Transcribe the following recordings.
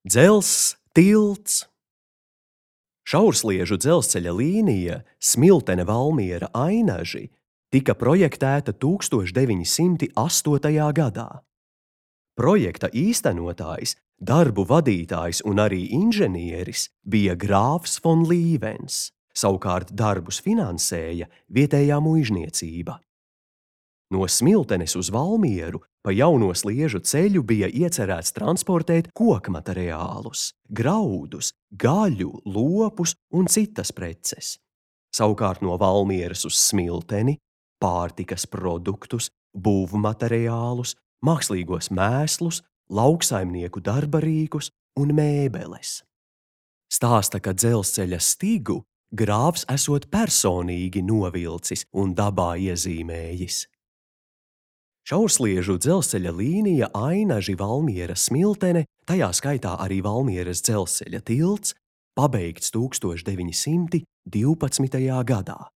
Dzelzs tilts. Šaursliežu dzelzceļa līnija Smiltene–Valmiera – Ainaži tika projektēta 1908. gadā. Projekta īstenotājs, darbu vadītājs un arī inženieris bija grāfs Fon Līvens, savukārt darbus finansēja vietējā muižniecība. No Smiltenes uz Valmieru pa jauno sliežu ceļu bija iecerēts transportēt kokmateriālus, graudus, gaļu, lopus un citas preces. Savukārt no Valmieras uz Smilteni pārtikas produktus, būvmateriālus, mākslīgos mēslus, lauksaimnieku darbarīkus un mēbeles. Stāsta, ka dzelzceļa stigu grāfs esot personīgi novilcis un dabā iezīmējis. Šaursliežu dzelzceļa līnija Ainaži–Valmiera–Smiltene, tajā skaitā arī Valmieras dzelzceļa tilts, pabeigts 1912. gadā.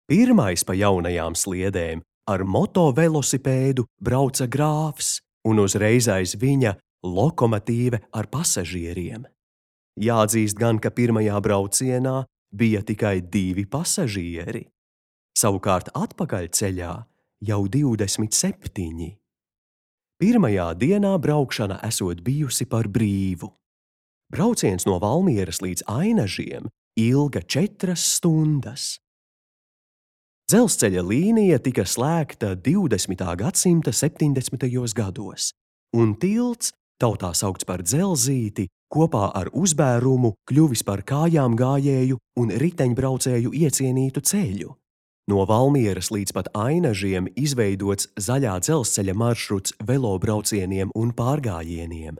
Pirmais pa jaunajām sliedēm ar motovelosipēdu brauca grāfs un uzreiz aiz viņa lokomotīve ar pasažieriem. Jāatzīst gan, ka pirmajā braucienā bija tikai 2 pasažieri, savukārt atpakaļceļā jau 27. Pirmajā dienā braukšana esot bijusi par brīvu. Brauciens no Valmieras līdz Ainažiem ilga 4 stundas. Dzelzceļa līnija tika slēgta 20. gadsimta 70. gados, un tilts, tautā saukts par Dzelzīti, kopā ar uzbērumu kļuvis par kājām gājēju un riteņbraucēju iecienītu ceļu. No Valmieras līdz pat Ainažiem izveidots zaļā dzelzceļa maršruts velobraucieniem un pārgājieniem.